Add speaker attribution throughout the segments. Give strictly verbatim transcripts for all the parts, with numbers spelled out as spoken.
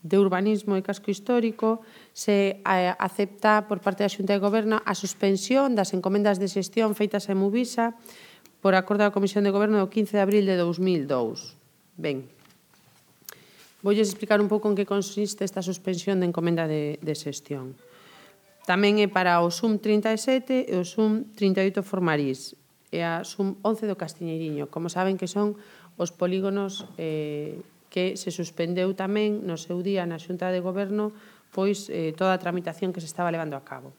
Speaker 1: de Urbanismo e Casco Histórico se acepta por parte da Xunta de Goberno a suspensión das encomendas de xestión feitas a Emuvisa por acordo da Comisión de Goberno do quince de abril de dous mil dous. Ben, voulles explicar un pouco en que consiste esta suspensión de encomenda de, de xestión. Tamén é para o SUM trinta e sete e o SUM trinta e oito Formarís e a SUM once do Castiñeiriño. Como saben que son os polígonos eh, que se suspendeu tamén no seu día na Xunta de Goberno pois eh, toda a tramitación que se estaba levando a cabo.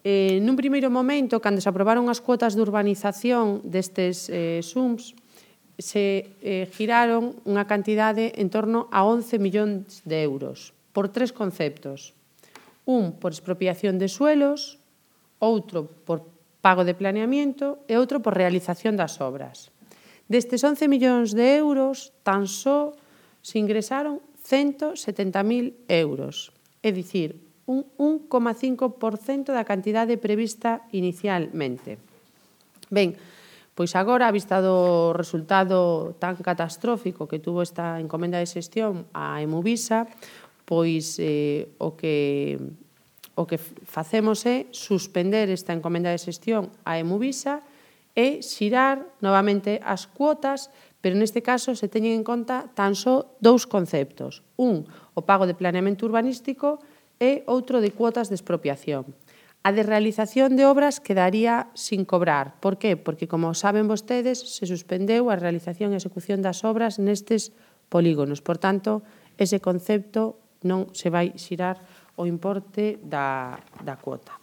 Speaker 1: Eh, nun primeiro momento, cando se aprobaron as cuotas de urbanización destes eh, SUMs, se eh, giraron unha cantidade en torno a once millóns de euros por tres conceptos. Un, por expropiación de suelos, outro, por pago de planeamiento e outro, por realización das obras. Destes once millóns de euros, tan só se ingresaron ciento setenta mil euros, é dicir, un un coma cinco por cento da cantidade prevista inicialmente. Ben, pois agora, a vista do resultado tan catastrófico que tuvo esta encomenda de xestión a Emuvisa, pois eh, o que o que facemos é suspender esta encomenda de xestión a Emuvisa e xirar novamente as cuotas, pero neste caso se teñen en conta tan só dous conceptos. Un, o pago de planeamento urbanístico e outro de cuotas de expropiación. A de realización de obras quedaría sin cobrar. Por qué? Porque, como saben vostedes, se suspendeu a realización e execución das obras nestes polígonos. Por tanto, ese concepto non se vai xirar o importe da, da cuota.